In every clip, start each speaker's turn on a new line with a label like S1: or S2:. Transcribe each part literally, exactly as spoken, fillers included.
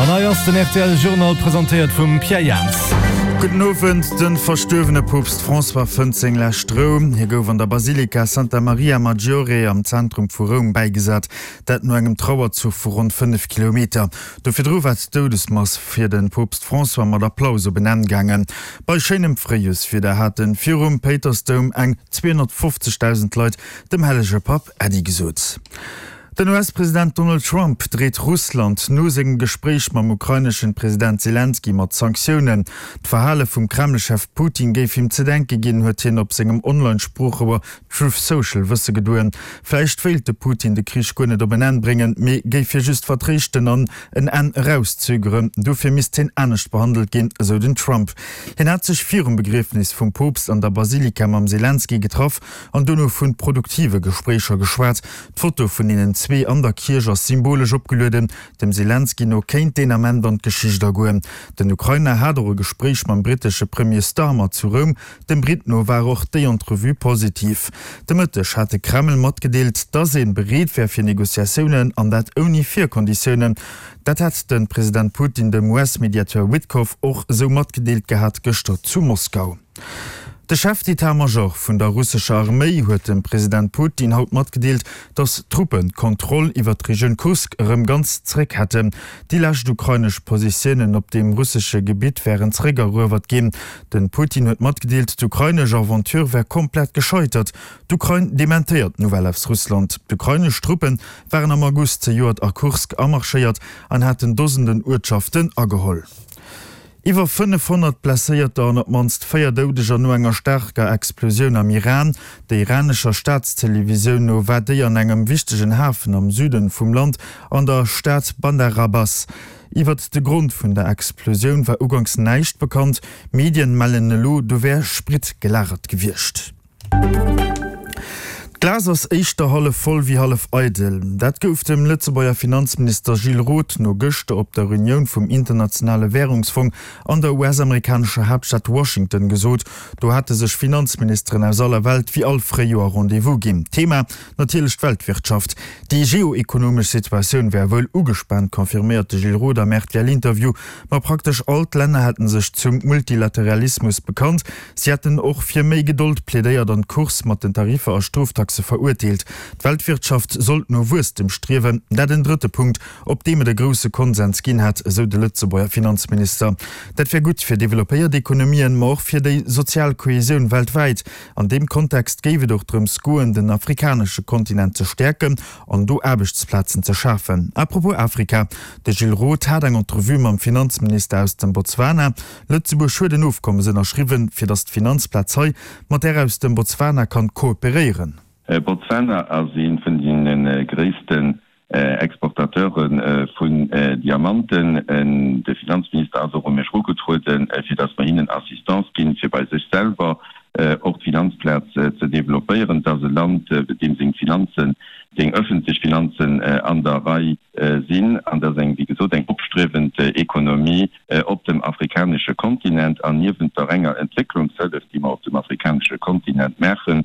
S1: An hei ass den R T L Journal, presentéiert vum Pierre Jans.
S2: Gudden Owend. De verstuerwene Poopst François fënnt seng lescht Rou. Hie gouf an der Basilika Santa Maria Maggiore am Zentrum vu Roum bäigesat, dat no engem Trauerzuch vu ronn fënnef Kilometer. Do virdru war d'Doudesmass fir de Poopst François mat Applaus op en Enn gaangen. Bei schéinem Fréijorswieder hate virum Péitersdoum eng zweehonnertfofzegdausend Leit dem Hellege Papp Äddi gesot. Den U S-President Donald Trump dreet Russland no sengem Gespréich mam ukraineschen President Selenskyj mat Sanktiounen. D'Verhale vum Kreml-Chef Putin géif him ze denke ginn, huet hien op sengem Online-Sproochrouer Truth Social wësse gedoen. Vläicht wéilt de Putin de Krich guer net op en Enn bréngen, mee géif hie just vertréischten an en Enn erauszögeren. Dofir misst hien anescht behandelt ginn, esou den Trump. Hien hat sech virum Begriefnis vum Poopst an der Basilika mam Selenskyj getraff an dono vu produktive Gespréicher geschwat. D'Foto vun deenen zwee an der Kierch ass symbolesch opgelueden. Dem Selenskyj no kéint deen Ament an d'Geschicht agoen. Den Ukrainer hat och e Gespréich mam brittesche Premier Starmer zu Roum. Dem Britt no war och déi Entrevue positiv. De Mëtteg hat de Kreml matgedeelt, datt ee bereet wär fir Negociatiounen, an dat ouni Virkonditiounen. Dat hätt de President Putin dem U S-Mediateur Witkoff och esou matgedeelt gehat gëschter zu Moskau. De Chef d'état-major vun der russescher Arméi huet dem President Putin haut matgedeelt, datt d'Truppen d'Kontroll iwwer d'Regioun Kursk erëm ganz zréck hätten. Déi lescht ukrainesch Positiounen op deem russesche Gebitt wären zréckeruewert ginn. De Putin huet matgedeelt, d'ukrainesch Aventure wär komplett gescheitert. D'Ukrain dementéiert d'Nouvelle aus Russland. D'ukrainesch Truppe waren am August zejoert a Kursk amarschéiert an haten Dosenden Uertschaften ageholl. Iwwer fënnefhonnert Blesséierter an op d'mannst véier Doudeger no enger staarker Explosioun am Iran. Der iranescher Staatstelevisioun no war déi an engem wichtegen Hafen am Süden vum Land an der Stad Bandar Abbas. Iwwert de Grond vun der Explosioun war uganks näischt bekannt. Medien mellen elo, do wär Sprit gelagert gewiescht. D'Glas ass éischter hallef voll wéi hallef eidel. Dat gouf dem Lëtzebuerger Finanzminister Gilles Roth no gëschter op der Reunioun vum Internationale Wärungsfong an der U S-amerikanescher Haaptstad Washington gesot. Do hate sech Finanzministeren aus aller Welt wéi all Fréijoer Rendez-vous ginn. Thema natierlech d'Weltwirtschaft. Déi geoekonomesch Situatioun wär wuel ugespaant, confirméiert de Gilles Roth am R T L-Interview. Ma praktesch all d'Länner hätte sech zum Multilateralismus bekannt. Si hätten och fir méi Gedold plädéiert an d'Course mat den Tariffer a Stroftaxe verurteelt. D'Weltwirtschaft sollt no Wuesstem striewen, dat en drëtte Punkt, op deem et e grousse Konsens ginn hätt, esou de Lëtzebuerger Finanzminister. Dat wär gutt fir developpéiert Ekonomien, ma och fir déi sozial Kohesioun weltwäit. An deem Kontext géif et och drëms goen, den afrikanesche Kontinent ze stäerken an do Aarbechtsplazen ze schafen. Apropos Afrika, de Gilles Roth hat eng Entrevue mam Finanzminister aus dem Botswana. Lëtzebuerg huet en Ofkommes ënnerschriwwen, fir datt d'Finanzplaz hei mat där aus dem Botswana kann kooperéieren.
S3: Botswana ass ee vun de gréissten Exportateure vun Diamanten. De Finanzminister ass och u mech erugetrueden, fir datt mer hinnen Assistance ginn, fir bei sech selwer och d'Finanzplaz ze developpéieren. Et ass e Land, deem seng Finanzen, seng ëffentlech Finanzen an der Rei sinn, an dat ass eng, wéi gesot, eng opstriewend Ekonomie op dem afrikanesche Kontinent. An niewent der renger Entwécklungshëllef, déi mer op dem afrikanesche Kontinent maachen,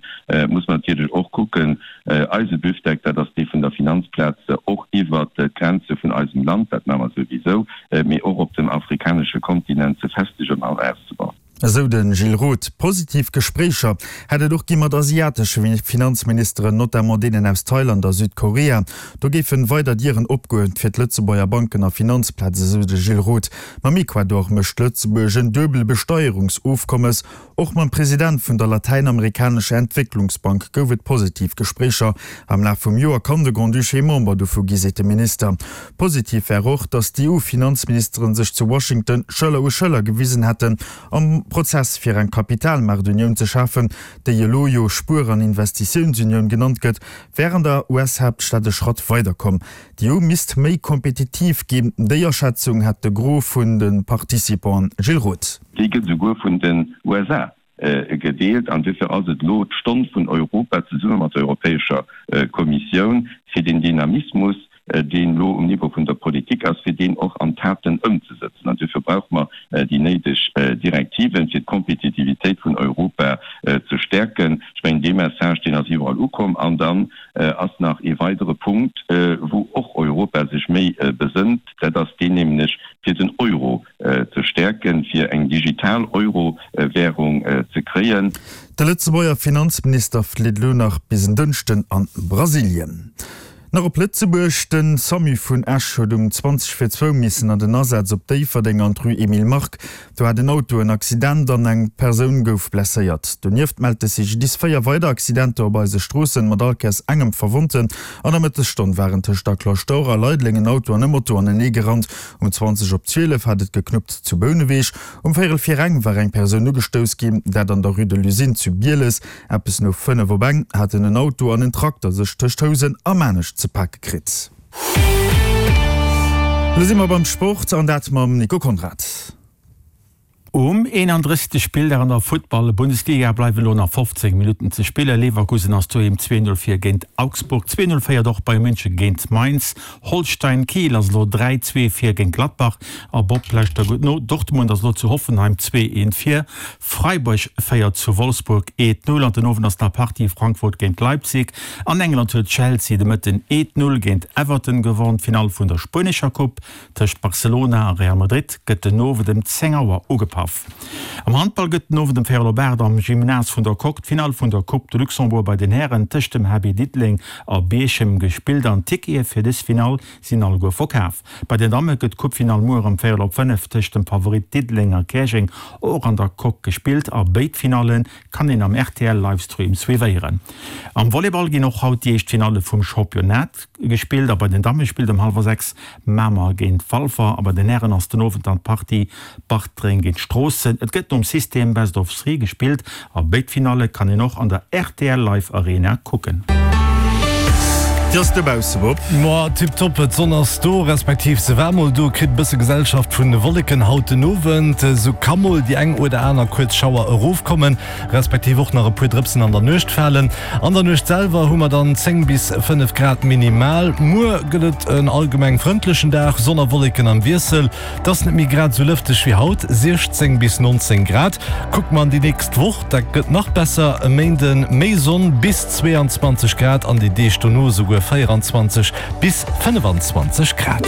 S3: muss mer natierlech och kucken, eise Büftek, dat ass dee vun der Finanzplaz, och iwwert d'Grenze vun eisem Land, dat maache mer souwisou, mee och op dem afrikanesche Kontinent ze festegen an auszebauen.
S2: Esou de Gilles Roth. Positiv Gespréicher hätt et och gi mat asiatesche Finanzministeren, notamment deenen aus Thailand a Südkorea. Do géifen weider Dieren opgoen fir d'Lëtzebuerger Banken a Finanzplaz, esou de Gilles Roth. Mam Ecuador mécht Lëtzebuerg en Duebelbesteierungsofkommes. Och mam President vun der latäinamerikanescher Entwécklungsbank gouf et positiv Gespréicher. Am Laf vum Joer kann de Grand-Duché Member dovu gi, seet de Minister. Positiv wär och, datt d'E U-Finanzministeren sech zu Washington Schëller u Schëller gewisen hätten am Prozess fir eng Kapitalmaartunioun ze schafen, déi elo jo Spuer an Investitiounsunioun genannt gëtt, wär an der U S-Haaptstad e Schratt weiderkomm. D'E U misst méi kompetitiv ginn, déi Aschätzung hat de Gros vun de Participanten. Gilles Roth.
S3: Déi gëtt esouguer vun den U S A gedeelt an duerfir ass et elo d'Stonn vun Europa zesumme mat der Europäescher Kommissioun, fir den Dynamismus deen elo um Niveau vun der Politik ass, fir deen och an Taten ëmzesëtzen. An duerfir brauche mer déi néideg Direktiven, fir d'Kompetitivitéit vun Europa ze stäerken. Ech mengen, dee Message, deen ass iwwerall ukomm. An dann ass nach ee weidere Punkt, wou och Europa sech méi besënnt, dat ass deen nämlech, fir den Euro ze stäerken, fir eng digital Euro-Währung ze kréien.
S2: De Lëtzebuerger Finanzminister flitt elo nach bis en Dënschden an Brasilien. Nach op Lëtzebuerg, De Samu vun Esch huet um zwanzeg vir zwou missen an den Asaz op Déifferdeng an d'Rue Emile Mark. Do hat en Auto en Accident an eng Persoun gouf blesséiert. Donieft mellt de C G D I S véier weider Accidenter op eise Stroossen, mat all Kéiers engem Verwonnten. An der Mëttesstonn waren tëscht der Cloche d'Or a Leideleng en Auto an e Moto anenee gerannt. Um zwanzeg op zwielef hat et geknuppt zu Bouneweg. Um véierel vir eng war eng Persoun ugestouss ginn, dat an der Rue de l'Usine zu Bieles. Eppes no fënnef op eng haten en Auto an en Trakter sech tëscht Housen a Maarnech ze pake kritt. Lo si mer beim Sport an dat mam Nico Conrad.
S4: Um eenandrëssegste Spilldag an der Futtball-Bundesliga bleiwen elo nach fofzéng Minutten ze spillen. Leverkusen ass doheem zwee Null vir géint Augsburg, zwee Null féiert och Bayern München géint Mainz. Holstein Kiel ass elo dräi zwee vir géint Gladbach a Bob lauschter gutt no, Dortmund ass elo zu Hoffenheim zwee eent vir, Freiburg féiert zu Wolfsburg eent Null an den Owend ass nach Partie Frankfurt géint Leipzig. An England huet Chelsea de Mëtten eent Null géint Everton gewonn. D'Finall vun der spuenescher Coupe tëscht Barcelona a Real Madrid gëtt den Owend ëm zéng Auer ugepaff. Am Handball gëtt den Owend ëm véierel op aacht am Gymnase vun der Coque d'Finall vun der Coupe de Luxembourg bei den Hären tëscht dem H B Diddeleng a Bierchem gespillt an d'Tickete fir dës Finall sinn alleguer verkaf. Bei den Damme gëtt d'Coupe-Finall muer ëm véierel op fënnef tëscht dem Favorit Diddeleng a Käerjeng och an der Coque gespillt a béid Finalle kann een am R T L Livestream suivéieren. Am Volleyball ginn och haut déi éischt Finalle vum Championnat gespillt a bei den Damme spillt ëm hallwer sechs Mamer géint Walfer a bei den Hären ass den Owend dann d'Partie Bartreng géint Stroossen. Et gëtt nom System Best of Three gespillt a béid Finalle kann een och an der R T L Live Arena kucken.
S2: Wéi ass dobausse, Bob?
S1: Ma tiptop, d'Sonn ass do, respektiv se war mol do, kritt e bësse Gesellschaft vun de Wolleken haut den Owend. Sou ka mol déi eng oder aner kuerz Schauer erofkommen, respektiv och nach e puer Drëpsen an der Nuecht falen. An der Nuecht selwer hu mer dann zéng bis fënnef Grad minimal. Muer gëtt et en allgemeng frëndlechen Dag, Sonn a Wolleken am Wiessel. Et ass net méi grad esou lëfteg wéi haut, siechzéng bis nonzéng Grad. Kucke mer an déi nächst Woch, da gëtt nach besser, e Méinde méi Sonn, bis zweeanzwanzeg Grad an déi Deeg dono esouguer véieranzwanzeg bis fënnefanzwanzeg Grad.